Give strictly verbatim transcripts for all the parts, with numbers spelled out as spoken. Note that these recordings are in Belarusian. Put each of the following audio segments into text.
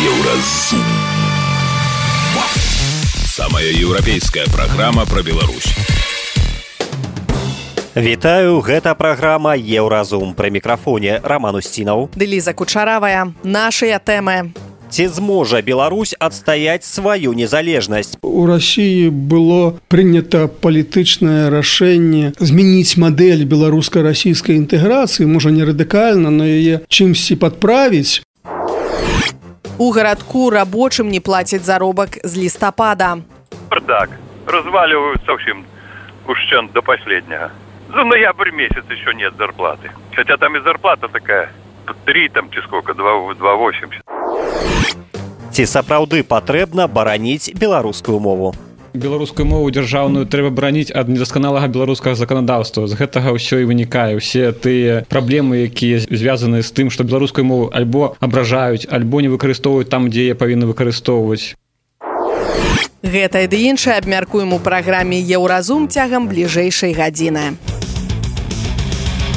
Еўразум. Самая еўрапейская праграма пра Беларусь. Вітаю, гэта праграма Еўразум. Пры мікрафоне Роман Устінаў. Ліза Кучаравая. Нашыя тэмы. Ці зможа Беларусь адстаяць сваю незалежнасць? У России было принято палітычнае рашэнне змяніць мадэль беларуска-расійскай інтэграцыі, можа не радыкальна, но яе чымсьці падправіць. У гарадку рабочым не плацяць заробак з лістапада. Бардак. Разваливают совсем ущен до последнего. За ноябрь месяц еще нет зарплаты. Хотя там и зарплата такая. Три там, чи сколько, два восемьдесят. Ці сапраўды патрэбна бараніць беларускую мову? Беларускую мову дзяржаўную трэба бараніць ад недасканалага беларускага заканадаўства. З гэтага ўсё і вынікае. Усе тыя праблемы, якія звязаны з тым, што беларускую мову альбо абражаюць, альбо не выкарыстоўваюць там, дзе яе павінны выкарыстоўваць. Гэта і ды іншае абмяркуем у праграме Еўразум цягам бліжэйшай гадзіны.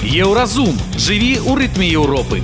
Еўразум. Жыві ў рытме Еўропы.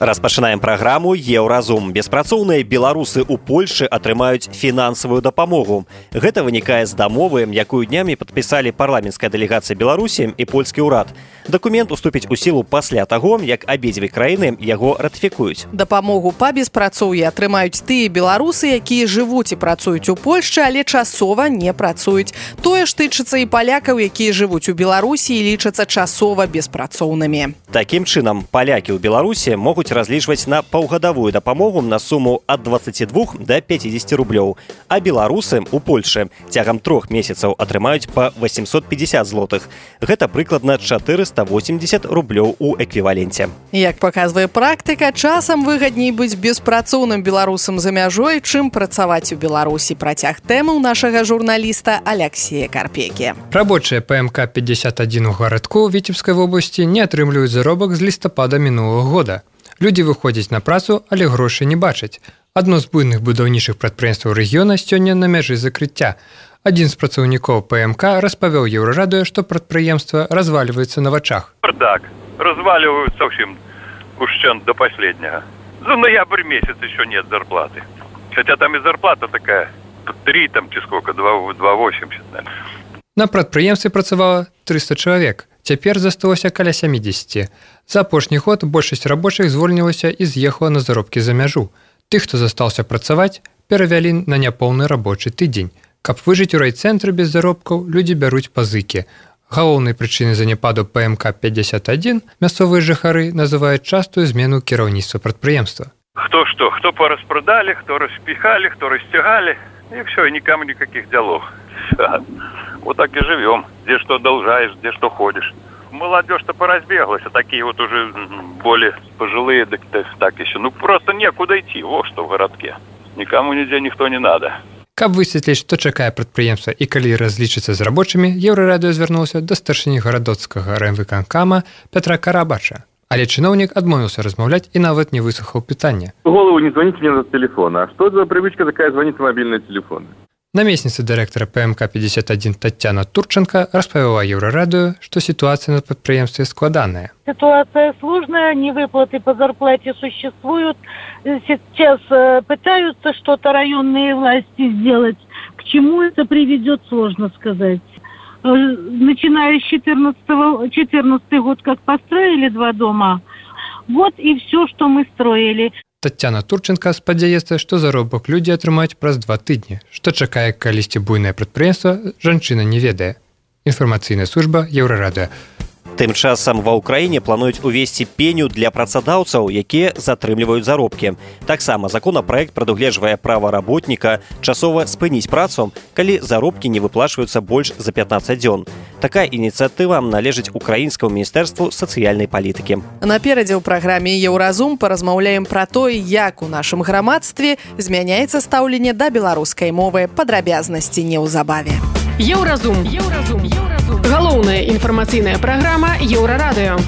Распачынаем праграму Еўразум. Беспрацоўныя беларусы ў Польшы атрымаюць фінансавую дапамогу. Гэта вынікае з дамовы, якую днямі падпісалі парламенцкая дэлегацыя Беларусі і польскі ўрад. Дакумент уступіць у сілу пасля таго, як абедзве краіны яго ратыфікуюць. Дапамогу па беспрацоўі атрымаюць тыя беларусы, якія жывуць і працуюць у Польшчы, але часова не працуюць. Тое ж тычыцца і палякаў, якія жывуць у Беларусі і лічацца часова беспрацоўнымі. Такім чынам, палякі ў Беларусі могуць разлічваць на паўгадавую дапамогу на суму ад дваццаці двух да пяцідзесяці рублёў, а беларусы ў Польшы цягам трох месяцаў атрымаюць па восемьсот пятьдесят злотых. Гэта прыкладна чатырыста восемьдесят рублёў у эквіваленце. Як паказвае практыка, часам выгадней быць беспрацоўным беларусам за мяжой, чым працаваць у Беларусі. Працяг тэмаў нашага журналіста Аляксея Карпекі. Рабочыя ПМК пятьдесят один у гарадку Віцебскай вобласці не атрымліваюць заробак з лістапада мінулага года. Людзі выходзяць на працу, але грошай не бачаць. Адно з буйных будаўнічых прадпрыемстваў рэгіёна сёння на мяжы закрыцця. Адзін з працаўнікоў ПМК распавёў Еўрарадыё, што прадпрыемства разваливаецца на вачах. Бардак. Разваливают совсем ущен до последнего. За ноябрь месяц еще нет зарплаты. Хотя там и зарплата такая. Три там, чи сколько, два восемьдесят. На прадпрыемстве працавала трыста чалавек. Цяпер засталося каля сямідзесяці. За апошні год большасць рабочых звольнілася і з'ехала на заробкі за мяжу. Тых, хто застаўся працаваць, перавялі на няпоўны рабочы тыдзень. Каб выжыць у райцэнтры без заробкаў, людзі бяруць пазыкі. Галоўнай прычынай заняпаду ПМК пятьдесят один мясцовыя жыхары называюць частую змену кіраўніцтва прадпрыемства. Кто что, кто пораспродали, кто распихали, кто растягали. И все, и никому никаких делов. Вот так и живем. Где что должаешь, где что ходишь. Молодежь-то поразбеглась, а такие вот уже более пожилые, так, так еще. Ну, просто некуда идти, вот что в городке. Никому нигде никто не надо. Каб высветліць, што чакае прадпрыемства і калі разлічыцца з рабочымі, Еўрарадыё звярнуўся да старшыні гарадоцкага райвыканкама Пятра Карабача. Але чыноўнік адмовіўся размаўляць і нават не выслухаў пытання. В голову не звоните мне на телефон. А что за привычка такая звонить на мобильные телефоны? Намесніца дырэктара ПМК пятьдесят один Таццяна Турченко распавяла Еўрарадыё, што ситуация на прадпрыемстве складаная. Ситуация сложная, невыплаты по зарплате существуют. Сейчас пытаются что-то районные власти сделать. К чему это приведет, сложно сказать. Начиная с четырнадцатого, четырнадцатый год, как построили два дома, вот и все, что мы строили. Таццяна Турченко спадзяецца, што заробак людзі атрымаюць праз два тыдні. Што чакае калісьці буйнае прадпрыемства, жанчына не ведае. Інфармацыйная служба Еўрарадыё. Тым часам ва ўкраіне плануюць увесці пеню для працадаўцаў, якія затрымліваюць заробкі. Таксама законапраект прадугледжвае права работніка часова спыніць працу, калі заробкі не выплачваюцца больш за пятнаццаць дзён. Такая ініцыятыва належыць украінскаму міністэрству сацыяльнай палітыкі. Наперадзе ў праграме Еўразум паразмаўляем пра тое, як у нашым грамадстве змяняецца стаўленне да беларускай мовы. Падрабязнасці неўзабаве. Еўразум. Еўразум. Галоўная інфармацыйная праграма Еўрарадыё.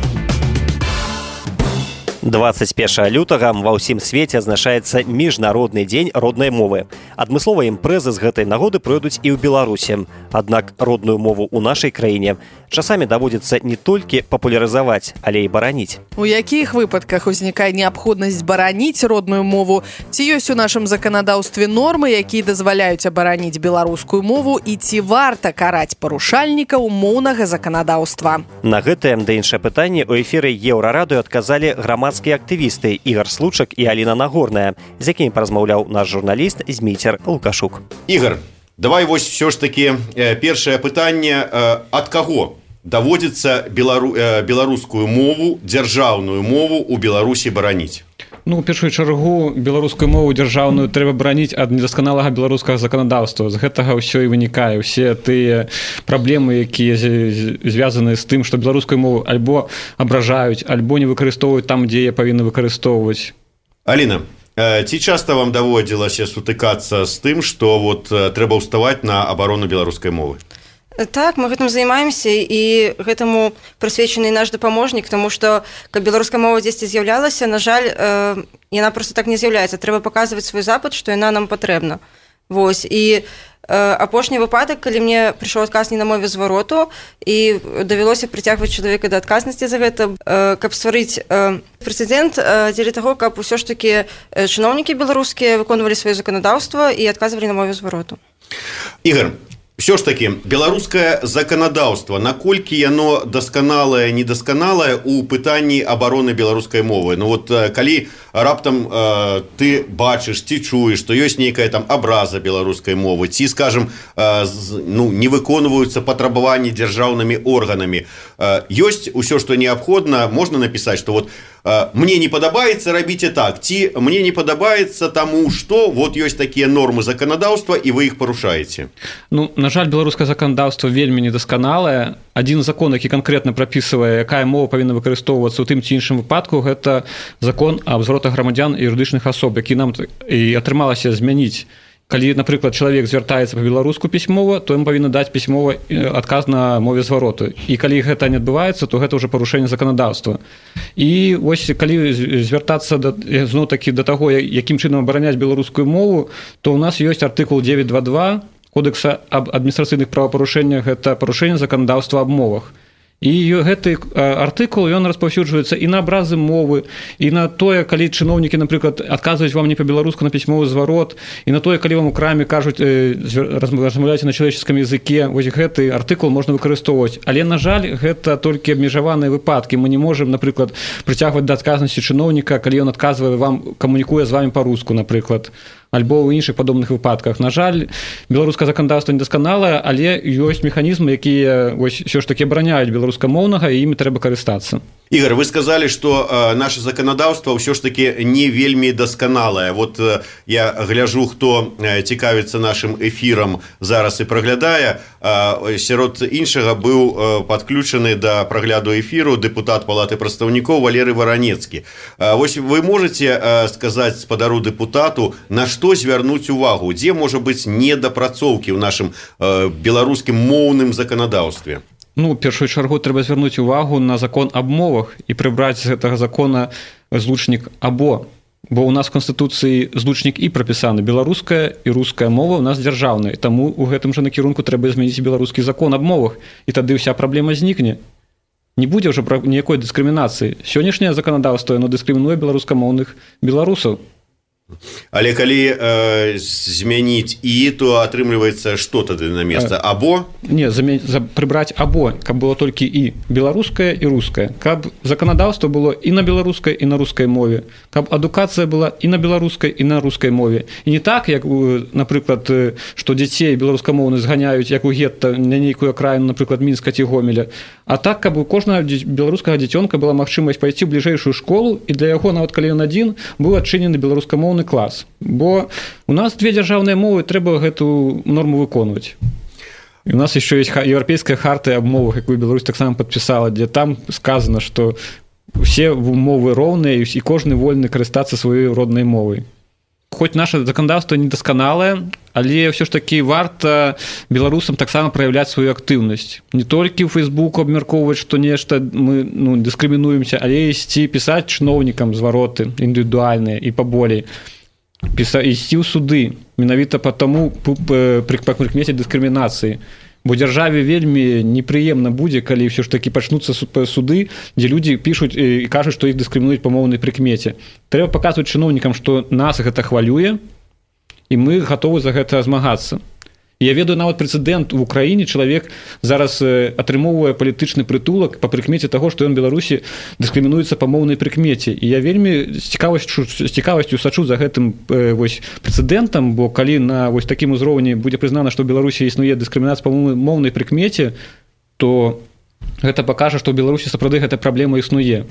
двадцать першага лютага ва ўсім свеце адзначаецца міжнародны дзень роднай мовы. Адмысловыя імпрэзы з гэтай нагоды пройдуць і ў Беларусі. Аднак родную мову ў нашай краіне часамі даводзіцца не толькі папулярызаваць, але і бараніць. У якіх выпадках узнікае неабходнасць бараніць родную мову? Ці ёсць у нашым заканадаўстве нормы, якія дазваляюць абараніць беларускую мову, і ці варта караць парушальнікаў моўнага заканадаўства? На гэтае да іншае пытанне ў эфіры Еўрарадыё адказалі грамадскія актывісты Ігар Случак і Аліна Нагорная, з якімі паразмаўляў наш журналіст Зміцер Лукашук. Ігар, давай вось все ж таки першае пытанне, ад каго даводзіцца белару... беларускую мову, дзяржаўную мову ў Беларусі бараніць? Ну, у першую чаргу беларускую мову дзяржаўную трэба бараніць ад недасканалага беларускага заканадаўства. З гэтага ўсё і вынікае. Усе тыя праблемы, якія звязаны з тым, што беларускую мову альбо абражаюць, альбо не выкарыстоўваюць там, дзе яе павінны выкарыстоўваць. Аліна, ці часта вам даводзілася сутыкацца з тым, што вот трэба ўставаць на абарону беларускай мовы? Так, мы гэтым займаемся, і гэтаму прысвечаны наш дапаможнік, таму што каб беларуская мова дзесьці з'яўлялася, на жаль, яна проста так не з'яўляецца. Трэба паказваць свой запыт, што яна нам патрэбна. Вось. І апошні выпадак, калі мне прыйшоў адказ не на мове звароту, і давялося прыцягваць чалавека да адказнасці за гэта, каб стварыць прэцэдэнт дзеля таго, каб усё ж такі чыноўнікі беларускія выконвалі сваё заканадаўства і адказвалі на мове звароту. Ігар, все ж таки, беларускае заканадаўства, наколькі яно дасканалае, недасканалае ў пытанні абароны беларускай мовы? Ну вот калі раптам э, ты бачыш, ці чуеш, што ёсць нейкая там абраза беларускай мовы, ці, скажем, э, ну, не выконваюцца патрабаванні дзяржаўнымі органамі, э, ёсць усё, што неабходна, можна напісаць, што вот мне не падабаецца, рабіце так, ці мне не падабаецца таму, што вот ёсць такія нормы заканадаўства, і вы іх парушаеце? Ну, на жаль, беларускае заканадаўства вельмі недасканалае. Адзін закон, які канкрэтна прапісвае, якая мова павінна выкарыстоўвацца ў тым ці іншым выпадку, гэта закон аб зваротах грамадзян і юрыдычных асоб, які нам і атрымалася змяніць. Калі, напрыклад, чалавек звяртаецца па-беларуску пісьмова, то ім павінна даць пісьмовы адказ на мове звароту. І калі гэта не адбываецца, то гэта ўжо парушэнне заканадаўства. І вось калі звяртацца зноў-такі да таго, якім чынам абараняць беларускую мову, то ў нас ёсць артыкул девять два два Кодекса аб адміністрацыйных правапарушэннях, гэта парушэнне заканадаўства аб мовах. І гэты артыкул, ён распаўсюджваецца і на абразы мовы, і на тое, калі чыноўнікі, напрыклад, адказваюць вам не па-беларуску на пісьмовы зварот, і на тое, калі вам у краме кажуць, размаўляеце на чалавеческім языке, вось гэты артыкул можна выкарыстоўваць. Але, на жаль, гэта толькі абмежаваныя выпадкі. Мы не можам, напрыклад, прыцягваць да адказнасці чыноўніка, калі ён адказвае вам, камунікуе з вамі па-руску, напрыклад, альбо ў іншых падобных выпадках. На жаль, беларускае заканадаўства недасканалае, але ёсць механізмы, якія вось ўсё ж такі абараняюць беларускамоўнага, і імі трэба карыстацца. Ігар, вы сказалі, што э, наше заканадаўства ўсё ж такі не вельмі дасканалае. Вот э, я гляжу, хто э, цікавіцца нашым эфірам зараз і праглядае. Э, сярод іншага быў э, падключаны да прагляду эфіру дэпутат Палаты прадстаўнікоў Валерый Варанецкі. Э, вось вы можаце э, сказаць спадару дэпутату, на што звярнуць увагу, дзе можа быць недапрацоўкі ў нашым э, беларускім моўным заканадаўстве? Ну, у першую чаргу трэба звярнуць увагу на закон аб мовах і прыбраць з гэтага закона злучнік «або». Бо ў нас в Канстытуцыі злучнік і прапісаны. Беларуская і руская мова ў нас дзяржаўная. Таму ў гэтым жа накірунку трэба змяніць беларускі закон аб мовах. І тады ўся праблема знікне. Не будзе ўжо ніякой дыскрымінацыі. Сённяшняе заканадаўства, яно дыскрымінуе беларускамоўных беларусаў. Але калі э, змяніць і, то атрымліваецца што тады на месца? Або? Не, замя... прыбраць або, каб было толькі і беларускае і рускае. Каб заканадаўства было і на беларускай, і на рускай мове. Каб адукацыя была і на беларускай, і на рускай мове. І не так, як, напрыклад, што дзяцей беларускамоўных зганяюць, як у гетта, на нейкую акраіну, напрыклад, Мінска ці Гомеля. А так, каб у кожнага беларускага дзіцёнка была магчымасць пайсці ў бліжэйшую школу, і для яго, нават калі ён адзін, быў адчынены беларускамоўны клас. Бо у нас две дзяржаўныя мовы, трэба гэту норму выконваць. І у нас еще есть еўрапейская харта аб мовах, якую Беларусь таксама падпісала, дзе там сказано, што усе мовы роўныя і кожны вольны карыстацца сваёй роднай мовай. хоць наше заканадаўства недасканалае, але ўсё ж такі варта беларусам таксама праяўляць сваю актыўнасць. Не толькі ў Фейсбуку абмяркоўваць, што нешта мы ну, дыскрымінуемся, але ісці пісаць чыноўнікам звароты індывідуальныя і паболей. Піса, ісці ў суды менавіта па таму прыкмеце дыскрымінацыі. Бо дзяржаве вельмі непрыемна будзе, калі ўсё ж такі пачнуцца суды, дзе людзі пішуць і кажуць, што іх дыскрымінуюць па моўнай прыкмеце. Трэба паказваць чыноўнікам, што нас гэта хвалюе, і мы гатовы за гэта змагацца. Я ведаю нават прэцэдэнт в Украіне, чалавек зараз атрымоўвае палітычны прытулак па прыкмеце таго, што ён Беларусі дыскрымінуецца па моўнай прыкмеце. І я вельмі з цікавасцю, з цікавасцю сачу за гэтым вось, прэцэдэнтам, бо калі на вось такім узроўні будзе прызнана, што ў Беларусі існуе дыскрымінацыя па моўнай прыкмеце, то гэта пакажа, што ў Беларусі сапраўды гэта праблема існуе.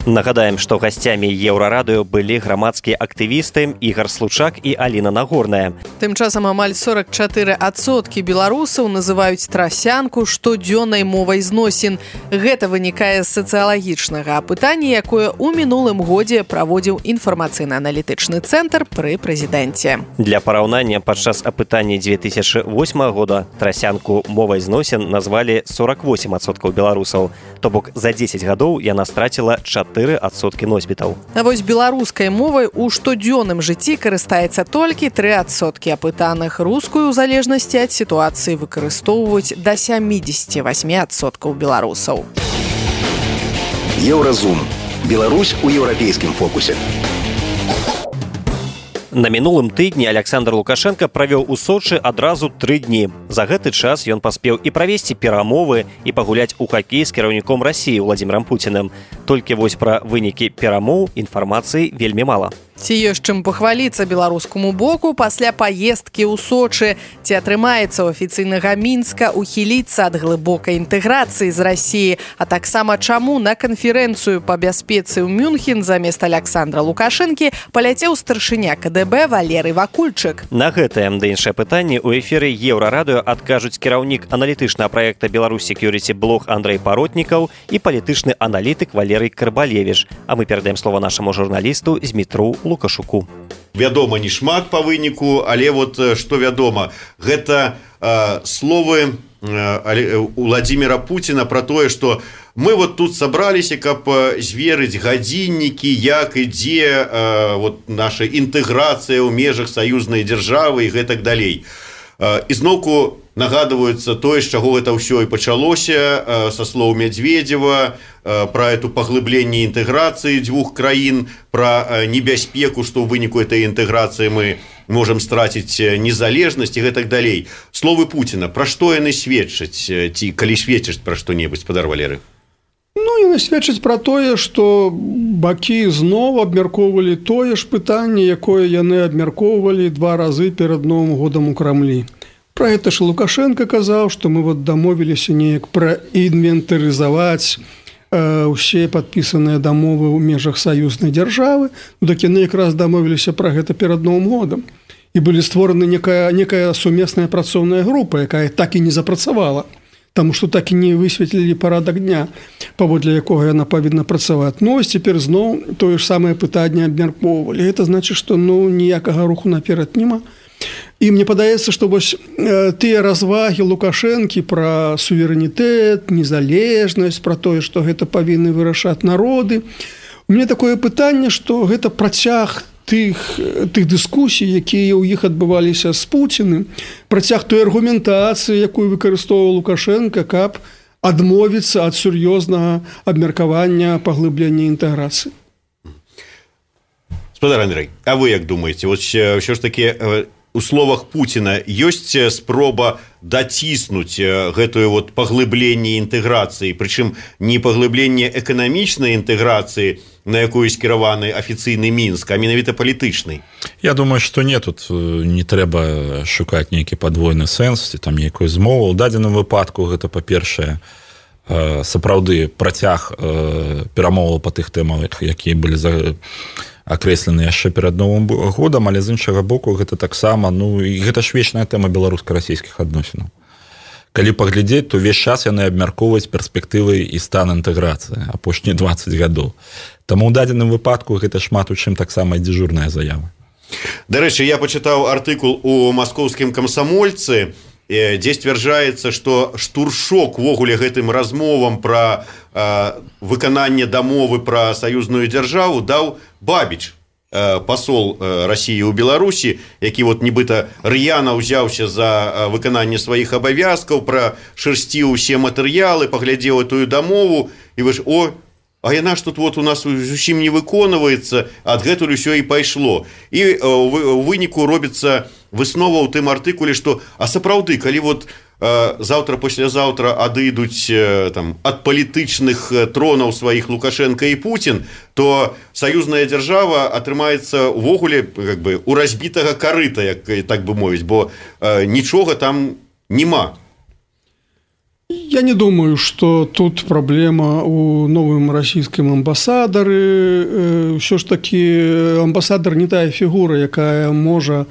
Нагадаем, што гасцямі Еўрарадыё былі грамадскія актывісты Ігар Случак і Аліна Нагорная. Тым часам амаль сорок чатыры адсоткі беларусаў называюць трасянку штодзённай мовай зносін. Гэта вынікае з сацыялагічнага апытання, якое ў мінулым годзе праводзіў інфармацыйна-аналітычны цэнтр пры прэзідэнце. Для параўнання, падчас апытання дзве тысячы восьмага года трасянку мовай зносін назвалі сорок восемь адсоткаў беларусаў. То бок за дзесяць гадоў яна страціла чатыры адсоткі носьбітаў. А вось беларускай мовай у штодзённым жыцці карыстаецца толькі тры адсоткі апытаных. Рускую ў залежнасці ад сітуацыі выкарыстоўваюць да сямідзесят восемь адсоткаў беларусаў. Еўразум. Беларусь у еўрапейскім фокусе. На мінулым тыдні Александр Лукашенко правёў у Сочы адразу тры дні. За гэты час ён паспеў і правесці перамовы, і пагуляць у хакей з кіраўніком Расіі Владзімірам Пуціным. Толькі вось пра вынікі перамоў інфармацыі вельмі мала. Ці ёсць чым пахваліцца беларускаму боку пасля паездкі ў Сочы? Ці атрымаецца ў афіцыйнага Мінска ухіліцца ад глыбокай інтэграцыі з Расіі? А таксама чаму на канферэнцыю па бяспецы ў Мюнхен замест Александра Лукашэнкі паляцеў старшыня ка дэ бэ Валерый Вакульчык? На гэтае да іншае пытанне ў эфіры Еўрарадыё адкажуць кіраўнік аналітычнага праекта Беларусь Security Блог Андрэй Паротнікаў і палітычны аналітык Валерый Карбалевіч. А мы перадаем слова нашаму журналісту Змітру Лукашуку. Вядома, не шмат па выніку, але вот што вядома, гэта э, словы э, Владзіміра Пуціна пра тое, што мы вот тут сабраліся, каб зверыць гадзіннікі, як ідзе э, вот наша інтэграцыя ў межах саюзнай дзяржавы і гэтак далей. Э, ізноўку нагадваюцца тое, з чаго гэта ўсё і пачалося, э, са слоў Медведзева, про эту паглыбленне інтэграцыі дзвюх краін, про небяспеку, што ў выніку этой інтэграцыі мы можам страціць незалежнасць і гэтак далей. Словы Пуціна, пра што яны сведчаць, ці калі сведчаць пра што-небудзь, спадар Валеры? Ну, яны сведчаць пра тое, што бакі зноў абмяркоўвалі тое ж пытанне, якое яны абмяркоўвалі два разы перад Новым годам у Крамлі. Пра гэта ж Лукашенко казаў, што мы вот дамовіліся неяк праінвентарызаваць усе падпісаныя дамовы ў межах саюзнай дзяржавы. Ну, так яны якраз дамовіліся пра гэта перад Новым годам. І былі створаны некая, некая сумесная працоўная група, якая так і не запрацавала, таму што так і не высветлілі парадак дня, паводле якога яна павінна працаваць. Ну, ось цяпер зноў тое ж самае пытанне абмяркоўвалі. Гэта значыць, што ну, ніякага руху наперад няма. І мне падаецца, што вось э, тыя развагі Лукашэнкі пра суверэнітэт, незалежнасць, пра тое, што гэта павінны вырашаць народы. У мяне такое пытанне, што гэта працяг тых, тых дыскусій, якія ў іх адбываліся з Пуціным, працяг той аргументацыі, якую выкарыстоўваў Лукашенко, каб адмовіцца ад сур'ёзнага абмеркавання паглыблення інтэграцыі. Спадар Андрэй, а вы як думаеце, вот ўсё ж такі у словах Пуціна ёсць спроба даціснуць гэтую вот паглыбленне інтэграцыі, прычым не паглыбленне эканамічнай інтэграцыі, на якую скіраваны афіцыйны Мінск, а менавіта палітычнай? Я думаю, што не, тут не трэба шукаць нейкі падвойны сэнс, ці там нейкую змову. У дадзеным выпадку гэта, па-першае, сапраўды працяг перамоваў па тых тэмах, якія былі за акрэслены яшчэ перад Новым годам, але з іншага боку гэта таксама, ну, і гэта ж вечная тэма беларуска-расійскіх адносінаў. Калі паглядзець, то ўвесь час яны абмяркоўваюць перспектывы і стан інтэграцыі апошнія дваццаць гадоў. Таму ў дадзеным выпадку гэта шмат у чым таксама дзяжурная заява. Дарэчы, я пачытаў артыкул у маскоўскім камсамольцы, дзе сцвярджаецца, што штуршок увогуле гэтым размовам пра э, выкананне дамовы пра саюзную дзяржаву даў Бабіч, э, пасол э, Расіі ў Беларусі, які вот нібыта р'яна ўзяўся за выкананне сваіх абавязкаў, прашырсціў усе матэрыялы, паглядзеў тую дамову і вы ж, о, а яна ж тут вот у нас зусім не выконваецца, адгэтуль усё і пайшло. І у выніку робіцца выснова ў тым артыкуле, што а сапраўды, калі вот э, заўтра-паслязаўтра адыдуць э, там, ад палітычных тронаў сваіх Лукашенко і Путін, то саюзная дзяржава атрымаецца увогуле как бы, у разбітага карыта, як так бы мовіць, бо э, нічога там нема. Я не думаю, что тут проблема у новым российском амбассадары. Все ж таки амбассадор не тая фигура, якая может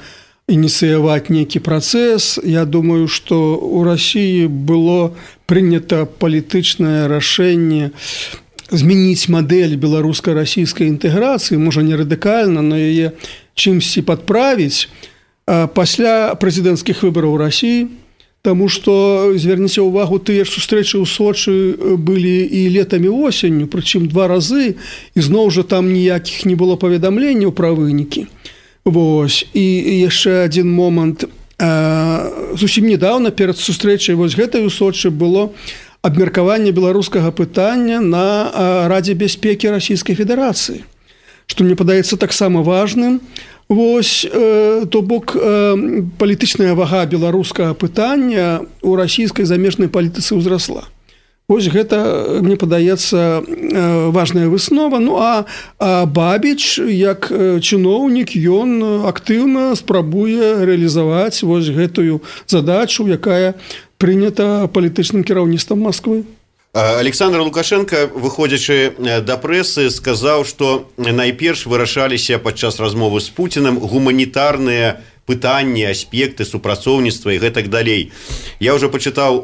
инициировать некий процесс. Я думаю, что у России было принято политичное решение изменить модель белорусско-российской интеграции, может не радикально, но ее чимся подправить после президентских выборов в России. Таму што, зверніце ўвагу, тыя ж сустрэчы ў Сочы былі і летам і осенню, прычым два разы, і зноў жа там ніякіх не было паведамленняў пра вынікі. Вось. І яшчэ адзін момант. Зусім недавно перад сустрэчай вось гэтай у Сочы было абмеркаванне беларускага пытання на Радзе бяспекі Расійскай Федэрацыі, што мне падаецца таксама важным. Вось, э, то бок э, палітычная вага беларускага пытання ў расійскай замежнай палітыцы ўзрасла. Вось гэта, мне падаецца, э, важная выснова. Ну а, а Бабіч, як чыноўнік, ён актыўна спрабуе рэалізаваць вось гэтую задачу, якая прынята палітычным кіраўніцтвам Масквы. Александр Лукашенко, выходзячы да прэсы, сказаў, што найперш вырашаліся падчас размовы з Пуцінам гуманітарныя пытанні, аспекты супрацоўніцтва і гэтак далей. Я ўжо пачытаў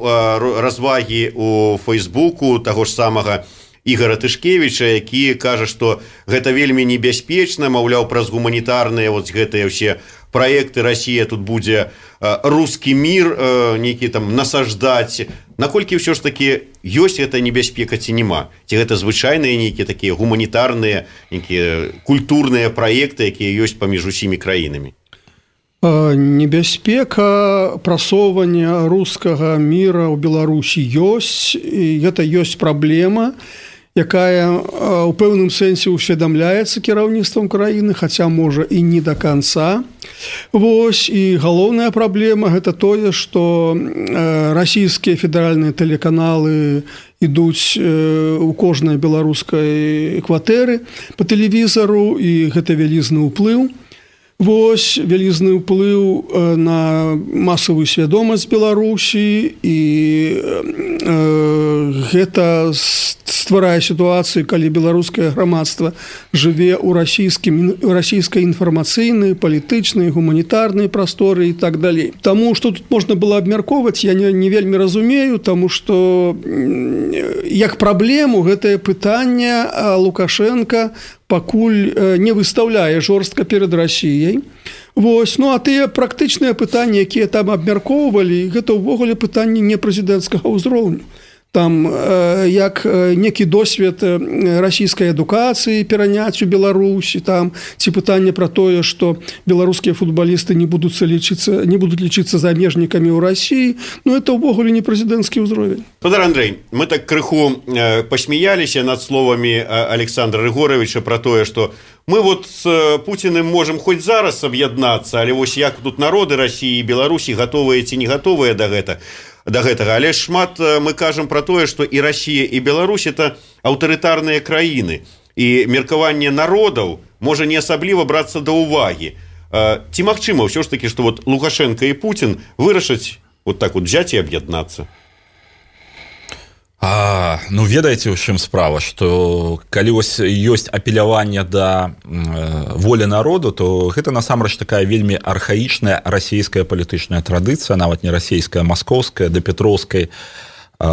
развагі у Фейсбуку таго ж самага Ігора Тышкевіча, які кажа, што гэта вельмі небяспечна, маўляў, праз гуманітарныя вот гэтыя ўсе праекты Расія тут будзе рускі мір нейкі там насаждаць. Наколькі ўсё ж такі ёсць гэта небяспека ці няма? Ці гэта звычайныя нейкія такія гуманітарныя, нейкія культурныя праекты, якія ёсць паміж усімі краінамі? Небяспека прасоўвання рускага міра ў Беларусі ёсць, і гэта ёсць праблема, якая ў пэўным сэнсе ўсведамляецца кіраўніцтвам краіны, хаця можа і не да канца. Вось, і галоўная праблема гэта тое, што расійскія федэральныя тэлеканалы ідуць у кожнай беларускай кватэры па тэлевізару, і гэта вялізны ўплыў. Вось, вялізны ўплыў на масавую свядомасць Беларусі, і э, гэта стварае сітуацыю, калі беларускае грамадства жыве ў расійскім, расійскай інфармацыйнай, палітычнай, гуманітарнай прасторы і так далей. Таму, што тут можна было абмяркоўваць, я не, не вельмі разумею, таму што як праблему гэтае пытанне Лукашенка пакуль не выстаўляе жорстка перад Расіяй. Вось, ну а тыя практычныя пытанні, якія там абмяркоўвалі, гэта ўвогуле пытанні не прэзідэнцкага ўзроўню. Там э, як некі досвед расійскай адукацыі пераняць у Беларусі, там ці пытанне пра тое, што беларускія футбалісты не будуць лічыцца, не будуць лічыцца замежнікамі ў Расіі, ну это ўвогуле не прэзідэнцкі ўзровень. Спадар Андрэй, мы так крыху э, пасмяяліся над словамі Александра Рыгоровича пра тое, што мы вот з Пуціным можам хоць зараз аб'яднацца, але вось як тут народы Расіі і Беларусі гатовыя ці не гатовыя да гэта. да гэтага, але шмат мы кажам пра тое, што і Расія і Беларусь это аўтарытарныя краіны, і меркаванне народаў можа не асабліва брацца да ўвагі. Ці магчыма ўсё ж такі, што вот Лукашенко і Путін вырашаць вот так вот взять і аб'яднацца? А, ну ведаеце, у чым справа, што калі вось ёсць апеляванне да э, волі народу, то гэта насамрэч такая вельмі архаічная расійская палітычная традыцыя, нават не расійская, маскоўская, да петроўскай э,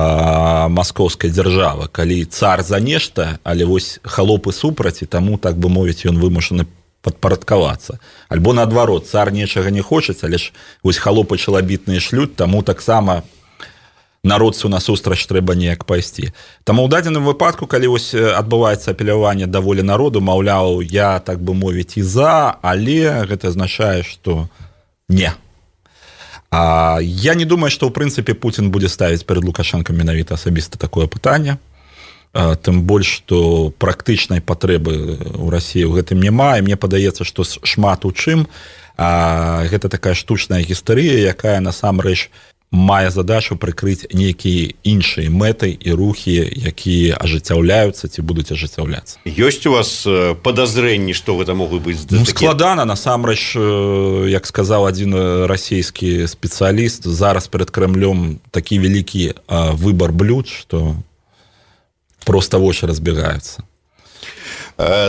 маскоўскай дзяржавы, калі цар за нешта, але вось халопы супраць, і таму, так бы мовіць, ён вымушаны падпарадкавацца. Альбо наадварот, цар нечага не хочаць, але ж вось халопы чалабітныя шлють, таму таксама народцу насустрач трэба неяк пайсці. Таму ў дадзеным выпадку, калі вось адбываецца апеляванне да волі народу, маўляў, я, так бы мовіць, і за, але гэта азначае, што не. А я не думаю, што ў прынцыпе Пуцін будзе ставіць перад Лукашенком менавіта асабіста такое пытанне. Тым больш, што практычнай патрэбы ў Расіі ў гэтым няма, і мне падаецца, што шмат у чым гэта такая штучная гістарыя, якая насамрэч мае задачу прыкрыць нейкія іншыя мэты і рухі, якія ажыццяўляюцца ці будуць ажыццяўляцца. Ёсць у вас падазрэнні, што гэта могуць быць? Ну, складана, насамрэч, як сказаў адзін расійскі спецыяліст, зараз перад Крэмлём такі вялікі выбар блюд, што проста вочы разбегаюцца.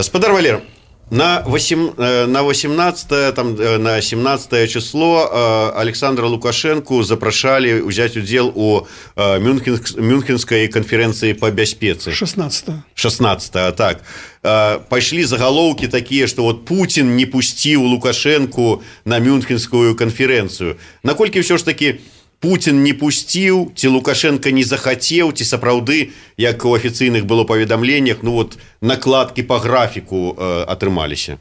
Спадар Валер, на восемнадцатое, там, на семнадцатое число Александра Лукашенко запрашалі ўзяць удзел у Мюнхенской конференции по бяспецы. шестнадцатое. шестнадцатое, так. Пайшлі загалоўкі такія, што вот Путин не пусціў Лукашенко на Мюнхенскую конференцию. Наколькі ўсё ж таки Путин не пусціў, ці Лукашенко не захацеў, ці сапраўды, як у афіцыйных было паведамленнях, ну вот накладкі по графіку э, атрымаліся?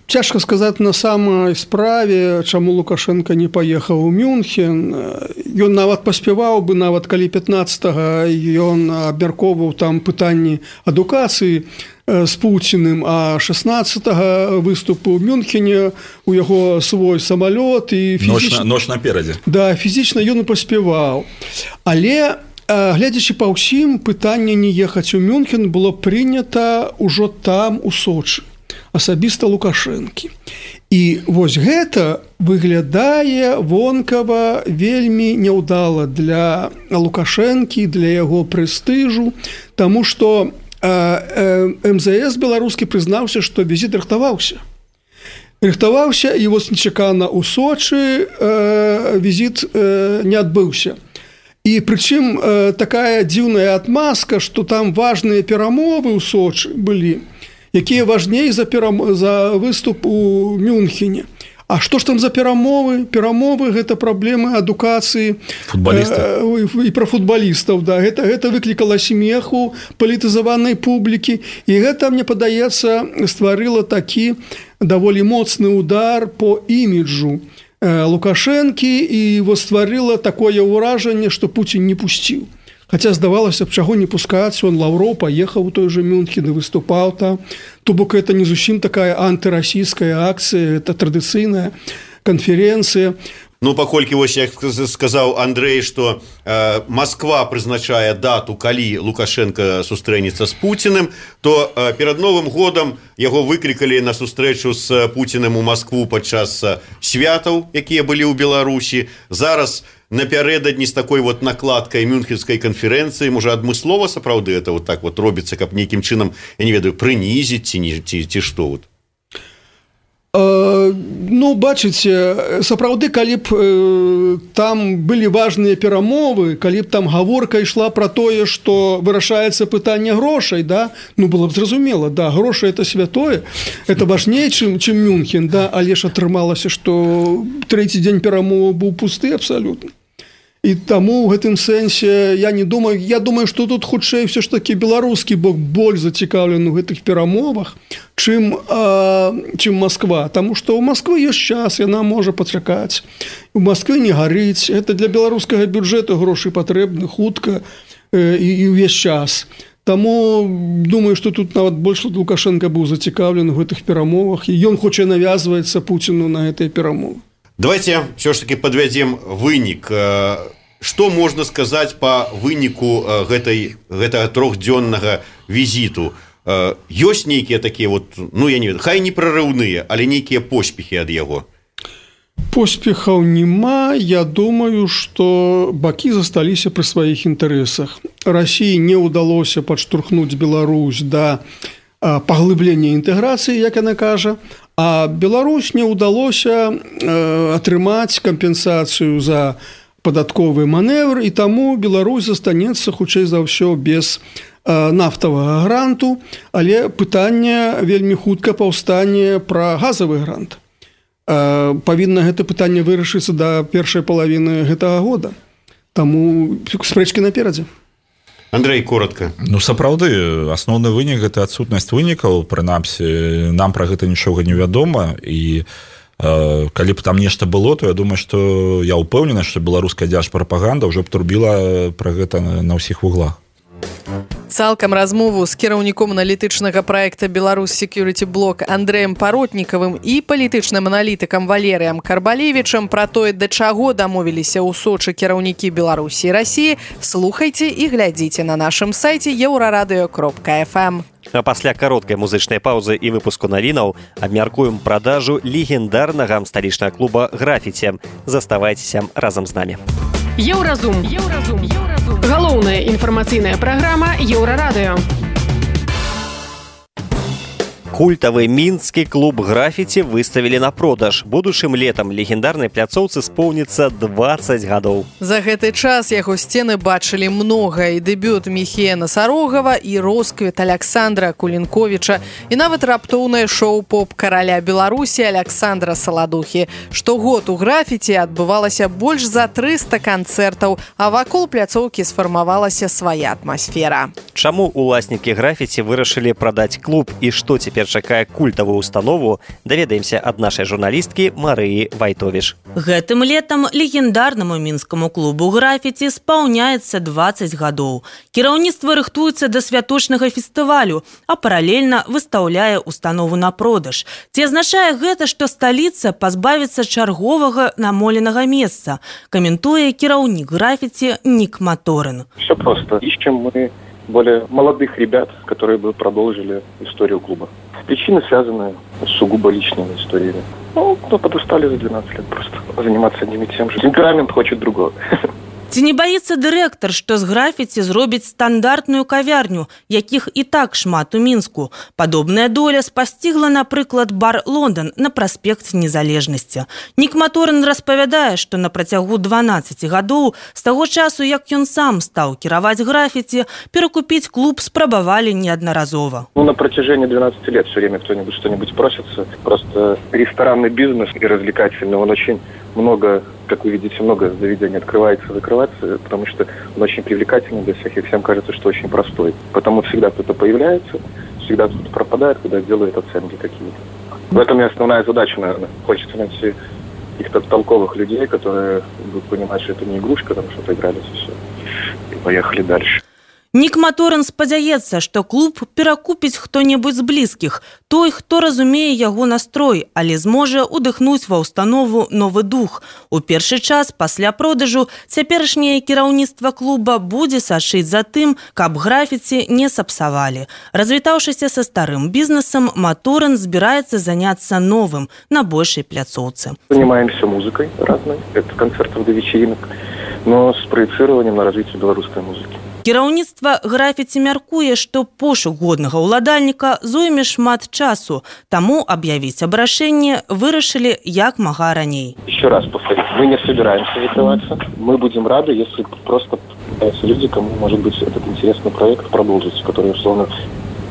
Цяжка сказаць на самай справе, чаму Лукашенко не паехаў у Мюнхен. Ён нават паспяваў бы, нават калі пятнадцатага ён абмяркоўваў там пытанні адукацыі з Пуціным, а шестнадцатага выступу ў Мюнхене, у яго свой самалёт і фізічна... Ноч наперадзе. Да, фізічна ён і паспяваў. Але, глядзячы па ўсім, пытанне не ехаць у Мюнхен было прынята ўжо там, у Сочы, асабіста Лукашэнкі. І вось гэта выглядае вонкава вельмі няўдала для Лукашэнкі, для яго прэстыжу, таму што эм зэ эс беларускі прызнаўся, што візіт рыхтаваўся. Рыхтаваўся, і вось нечакана ў Сочы візіт не адбыўся. І прычым такая дзіўная адмазка, што там важныя перамовы ў Сочы былі, якія важней за, перам... за выступ у Мюнхене. А што ж там за перамовы? Перамовы – гэта праблемы адукацыі э, і пра футбалістаў. Да. Гэта, гэта выклікала смеху палітызаванай публікі. І гэта, мне падаецца, стварыла такі даволі моцны удар по іміджу э, Лукашэнкі і стварыла такое ўражанне, што Пуцін не пусціў. Хаця здавалася б, чаго не пускаць, он Лаўроў паехаў у той же Мюнхен і выступаў там. То бок это не зусім такая антырасійская акцыя, это традыцыйная канферэнцыя. Ну, паколькі вось як сказаў Андрэй, што э, Москва прызначае дату, калі Лукашенко сустрэнецца з Пуціным, то э, перад Новым годам яго выклікалі на сустрэчу з Пуціным у Москву падчас святаў, якія былі ў Беларусі. Зараз напярэдадні з такой вот накладкай Мюнхенскай канферэнцыі, можа, адмыслова сапраўды это вот так вот робіцца, каб нейкім чынам, я не ведаю, прынізіць ці, ці, ці што вот? Ну, бачыце, сапраўды, калі б э, там былі важныя перамовы, калі б там гаворка ішла пра тое, што вырашаецца пытанне грошай, да, ну, было б зразумела, да, грошы это святое, это важней, чым, чым Мюнхен, да, але ж атрымалася, што трэці дзень перамовы быў пусты абсалютна. І таму ў гэтым сэнсе я не думаю, я думаю, што тут хутчэй все ж такі беларускі бок больш зацікаўлены ў гэтых перамовах, чым, а, чым Москва. Таму што ў Москвы ёсць час, яна можа пачакаць. У Москвы не гарыць. Гэта для беларускага бюджэту грошы патрэбны хутка э, і, і ўвесь час. Таму думаю, што тут нават больш Лукашенко быў зацікаўлены ў гэтых перамовах, і ён хоча навязваецца Пуціну на гэтыя перамовы. Давайте все ж таки подвядзем вынік. Што можна сказаць па выніку гэтай, гэтага трохдзённага візіту? Ёсць нейкія такія вот, ну я не ведаю, хай не прарыўныя, але нейкія поспехі ад яго? Поспехаў няма. Я думаю, што бакі засталіся пры сваіх інтарэсах. Расіі не ўдалося падштурхнуць Беларусь да паглыблення інтэграцыі, як яна кажа, а Беларусь не ўдалося э, атрымаць кампенсацыю за падатковы маневр, і таму Беларусь застанецца хутчэй за ўсё без нафтавага гранту, але пытанне вельмі хутка паўстане пра газавы грант. Павінна гэта пытанне вырашыцца да першай палавіны гэтага года. Таму спрэчкі наперадзе. Андрей, коротко. Ну, сапраўды, асноўны вынік – гэта адсутнасць вынікаў. Прынамсі, нам пра гэта нічога не вядома. І э, калі б там нешта было, то я думаю, што я ўпэўнены, што беларуская дзяржпрапаганда ўжо б турбіла пра гэта на, на ўсіх вуглах. Цалкам размову з кіраўніком аналітычнага праекта «Беларусь Security Block» Андрэем Паротнікавым і палітычным аналітыкам Валерыем Карбалевічам пра тое, да чаго дамовіліся ў Сочы кіраўнікі Беларусі і Расіі, слухайце і глядзіце на нашым сайце еўрарадыё кропка эф эм. А пасля кароткай музычнай паўзы і выпуску навінаў абмяркуем прадажу легендарнага сталічнага клуба «Графіці». Заставайцеся разам з намі. Еўразум. Еўразум. Еўразум. Галоўная інфармацыйная праграма Еўрарадыё. Культавы мінскі клуб «Графіці» выставілі на продаж. Будучым летам легендарнай пляцоўцы споўніцца дваццаць гадоў. За гэты час яго сцены бачылі многа, і дэбют Міхея Насарогава, і росквіт Аляксандра Кулінковіча, і нават раптоўнае шоу поп караля Беларусі Аляксандра Саладухі. Штогод у «Графіці» адбывалася больш за трыста канцэртаў, а вакол пляцоўкі сфармавалася свая атмасфера. Чаму уласнікі «Графіці» вырашылі прадаць клуб і што цяпер чакае культавую установу, даведаемся ад нашай журналісткі Марыі Вайтовіш. Гэтым летам легендарнаму мінскаму клубу «Графіці» спаўняецца дваццаць гадоў. Кіраўніцтва рыхтуецца да святочнага фестывалю, а паралельна выстаўляе установу на продаж. Ці азначае гэта, што сталіца пазбавіцца чарговага намоленага месца, каментуе кіраўнік «Графіці» Нік Маторин. Все просто. Ищем мы более молодых ребят, которые бы продолжили историю клуба. Причины связаны с сугубо личными историями. Ну, ну, подустали за двенадцать лет просто заниматься одним и тем же. Темперамент хочет другого. Ці не баіцца дырэктар, што з «Графіці» зробіць стандартную кавярню, якіх і так шмат у Мінску. Падобная доля спасцігла, напрыклад, бар «Лондон» на праспекце Незалежнасці. Нік Маторин распавядае, што на працягу дванаццаці гадоў, з таго часу, як ён сам стаў кіраваць «Графіці», перакупіць клуб спрабавалі неаднаразова. Ну, на протяжении двенадцати лет все время кто-нибудь что-нибудь просится. Просто ресторанный бизнес и развлекательный, он очень много, как вы видите, много заведений открывается, закрывается, потому что он очень привлекательный для всех, и всем кажется, что очень простой. Потому всегда кто-то появляется, всегда кто-то пропадает, когда делает оценки какие-то. В этом и основная задача, наверное. Хочется найти каких-то толковых людей, которые будут понимать, что это не игрушка, там что-то игрались и все. И поехали дальше. Нік Маторин спадзяецца, што клуб перакупіць хто-небудзь з блізкіх, той, хто разумее яго настрой, але зможа удыхнуць ва ўстанову новы дух. У першы час пасля продажу цяперашняе кіраўніцтва клуба будзе сачыць за тым, каб «Графіці» не сапсавалі. Развітаўшыся са старым бізнесам, Маторин збіраецца заняцца новым на большай пляцоўцы. Занимаемся музыкой разной, это концертов до вечеринок, но с проецированием на развитие белорусской музыки. Кіраўніцтва «Графіці» мяркуе, што пошук годнага ўладальніка зойме шмат часу, таму аб'явіць абрашэнне вырашылі як мага раней. Еще раз повторю, мы не собираемся закрываться. Мы будем рады, если просто появятся люди, кому, может быть, этот интересный проект продолжится, который, условно,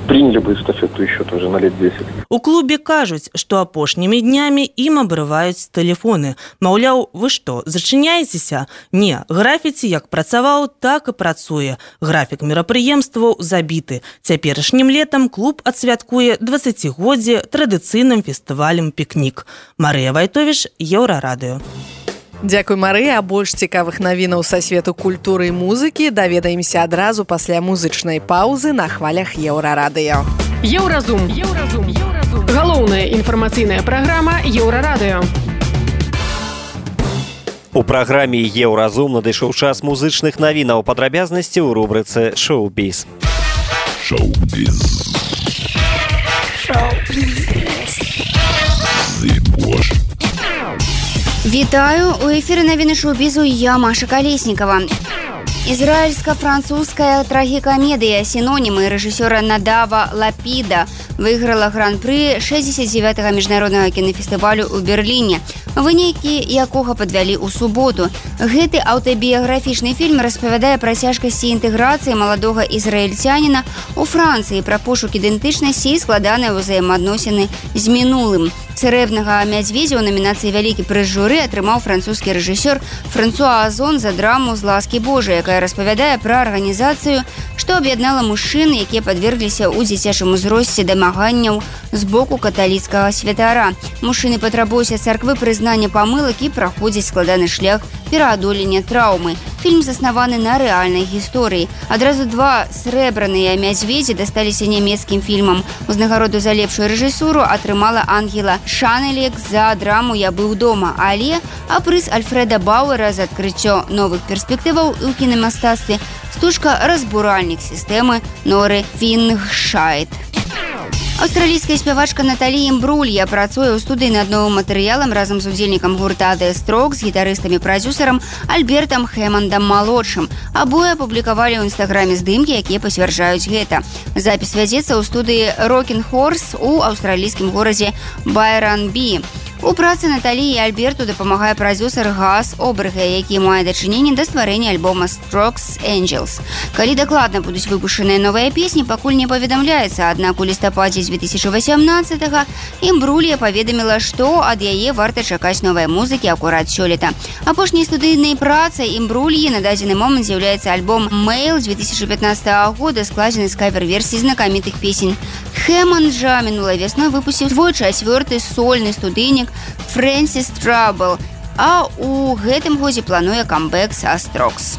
приняли бы эстафету еще тоже на лет десять. У клубе кажуць, што апошнімі днямі ім абрываюць тэлефоны. Маўляў, вы што, зачыняецеся? Не, «Графіці» як працаваў, так і працуе. Графік мерапрыемстваў забіты. Цяперашнім летам клуб адсвяткуе дваццацігоддзе традыцыйным фестывалем «Пікнік». Марыя Вайтовіш, Еўрарадыё. Дзякуй, Марыя. А больш цікавых навінаў са свету культуры і музыкі даведаемся адразу пасля музычнай паўзы на хвалях Еўрарадыё. Еўразум. Еўразум. Еўразум. Галоўная інфармацыйная праграма Еўрарадыё. У праграме «Еўразум» надышоў час музычных навінаў, падрабязнасці ў рубрыцы «Шоу-біз». Шоу-біз. Шоу-біз. Вітаю! У эфіры навіны шоу-бізу я, Маша Калеснікава. Израильско-французская трагикомедия «Синонімы» рэжысёра Надава Лапіда выйграла гран-пры шэсцьдзесят дзевятага міжнароднага кінафестывалю ў Берліне. вынікі якога падвялі ў суботу. Гэты аўтабіяграфічны фільм распавядае пра цяжкасці інтэграцыі маладога ізраільцяніна у Францыі, пра пошук ідэнтычнасці і складаныя ўзаемаадносіны з мінулым. Цэрэбнага мядзведзя ў намінацыі «Вялікі прыз журы» атрымаў французскі рэжысёр Франсуа Озон за драму «З ласкі Божай», якая распавядае пра арганізацыю, што аб'яднала мужчын, якія падвергліся ў дзіцячым узросце дамаганняў з боку каталіцкага святара. Мужчыны патрабуюць ад царквы прызнання памылак і праходзяць складаны шлях пераадолення траўмы. Фільм заснаваны на рэальнай гісторыі. Адразу два срэбраныя мядзведзі дасталіся нямецкім фільмам. Узнагароду за лепшую рэжысуру атрымала Ангела Шанелек за драму «Я быў дома», але а прыз Альфреда Бауэра за адкрыццё новых перспектываў у кінамастацтве стужка «Разбуральнік сістэмы» Норы Фінгшайд. Аўстралійская спявачка Наталі Імбрулья працуе ў студыі над новым матэрыялам разам з удзельнікам гурта The Strokes, гітарыстам-прадзюсарам Альбертам Хэмандам-малодшым. Абое апублікавалі ў інстаграме здымкі, якія пацвярджаюць гэта. Запіс вядзецца ў студыі Rocking Horse у аўстралійскім горадзе Байранбі. У працы Наталі і Альберту дапамагае прадзюсар Гас Оберге, які мае дачыненне да стварэння альбома Strokes Angels. Калі дакладна будуць выпушчаныя новыя песні, пакуль не паведамляецца, аднак у лістападзе две тысячи васямнаццатага Імбрулья паведаміла, што ад яе варта чакаць новай музыкі акурат сёлета. Апошняй студыйнай працай Імбрульі на дадзены момант з'яўляецца альбом «Mail» з две тысячи пятнадцатага года, складзены з кавер-версій знакамітых песень. Хэманд жа мінулай вясной выпусціў свой чацвёрты сольны студыйнік Francis Trouble, а ў гэтым годзе плануе камбэк са Strokes.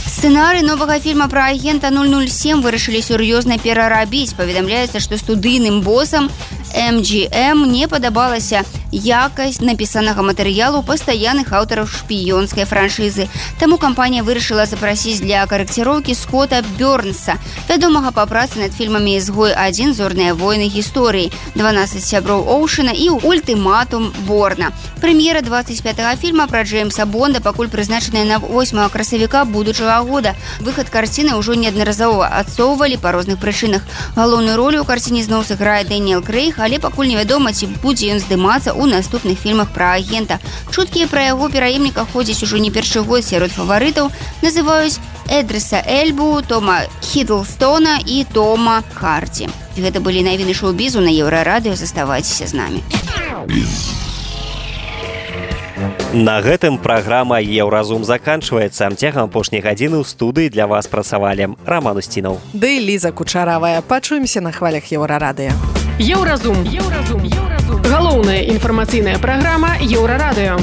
Сцэнарый новага фільма пра агента нуль нуль сем вырашылі сур'ёзна перарабіць. Паведамляецца, што студыйным босам эм джі эм не падабалася якасць напісанага матэрыялу пастаянных аўтараў шпіёнскай франшызы. Таму кампанія вырашыла запрасіць для карэкціроўкі Скотта Бёрнса, вядомага па працы над фільмамі «Ізгой адзін», «Зорныя войны гісторыі», «дванаццаць сяброў Оушена» і «Ультыматум Борна». Прэм'ера двадцать пятага фільма пра Джеймса Бонда пакуль прызначаная на восьмага красавіка будучага года. Выхад карціны ўжо неаднаразова адсоўвалі па розных прычынах. Галоўную ролю ў карціне зноў сыграе Дэніэл Крэйг, але пакуль невядома, ці будзе ён здымацца ў наступных фільмах пра агента. Чуткі пра яго пераемніка ходзяць ужо не першы год. Сярод фаварытаў называюць Эдрыса Эльбу, Тома Хідлстона і Тома Харді. Гэта былі навіны шоу-бізу на Еўрарадыё. Заставайцеся з намі. На гэтым праграма «Еўразум» заканчваецца. Цягам апошняй гадзіны ў студыі для вас працавалі Роман Устінаў. Ды Ліза Кучаравая. Пачуемся на хвалях Еўрарадыё. Еўразум. Еўразум. Галоўная інфармацыйная праграма Еўрарадыё.